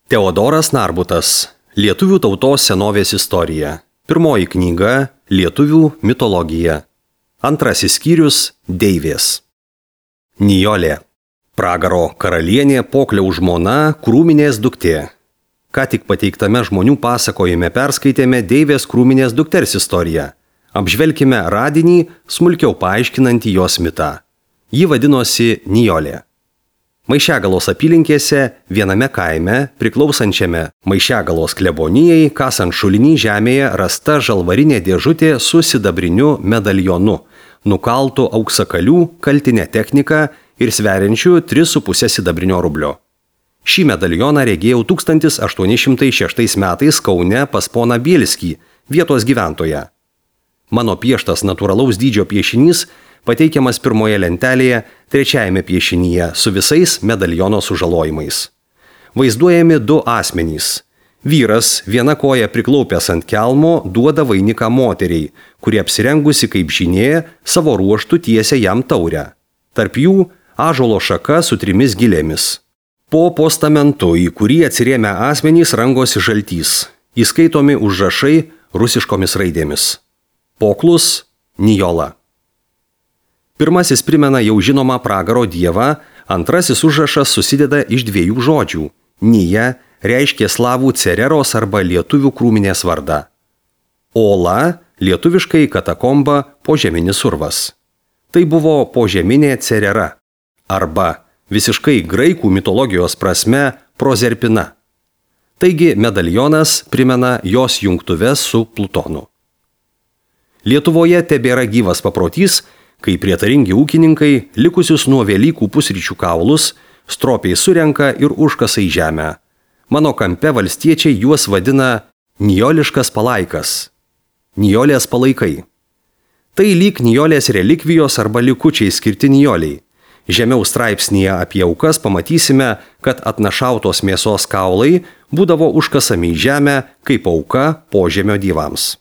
Teodoras Narbutas. Lietuvių tautos senovės istorija. Pirmoji knyga – Lietuvių mitologija. Antrasis skyrius – Deivės. Nijolė. Pragaro karalienė, Pokliaus žmona, Krūminės duktė. Ką tik pateiktame žmonių pasakojime perskaitėme Deivės Krūminės dukters istoriją. Apžvelkime radinį, smulkiau paaiškinantį jos mitą. Ji vadinosi Nijolė. Maišiagalos apylinkėse viename kaime, priklausančiame Maišiagalos klebonijai, kasant šulinį žemėje rasta žalvarinė dėžutė su sidabriniu medaljonu, nukaltu auksakalių kaltinę techniką ir sveriančiu 3,5 sidabrinio rublio. Šį medaljoną regėjau 1806 metais Kaune pas poną Bielskį, vietos gyventoją. Mano pieštas natūralaus dydžio piešinys pateikiamas pirmoje lentelėje, trečiajame piešinyje su visais medaljono sužalojimais. Vaizduojami du asmenys. Vyras, viena koja priklaupęs ant kelmo, duoda vainiką moteriai, kuri apsirengusi kaip žinė, savo ruoštų tiesia jam taurę. Tarp jų ąžuolo šaka su 3 gilėmis. Po postamentu, į kurį atsirėmę asmenys rangosi žaltys, įskaitomi užrašai rusiškomis raidėmis. Poklus – Nijola. Pirmasis primena jau žinomą pragaro dievą, antrasis užrašas susideda iš 2 žodžių. Nija reiškia slavų cereros arba lietuvių Krūminės vardą. Ola lietuviškai katakomba požeminis urvas. Tai buvo požeminė cerera arba visiškai graikų mitologijos prasme prozerpina. Taigi medaljonas primena jos jungtuves su Plutonu. Lietuvoje tebėra gyvas paprotys, kai prietaringi ūkininkai likusius nuo Velykų pusryčių kaulus stropiai surenka ir užkasa į žemę. Mano kampe valstiečiai juos vadina nijoliškas palaikas. Nijolės palaikai. Tai lyg nijolės relikvijos arba likučiai skirti nijoliai. Žemiau straipsnyje apie aukas pamatysime, kad atnašautos mėsos kaulai būdavo užkasami į žemę kaip auka požemio dievams.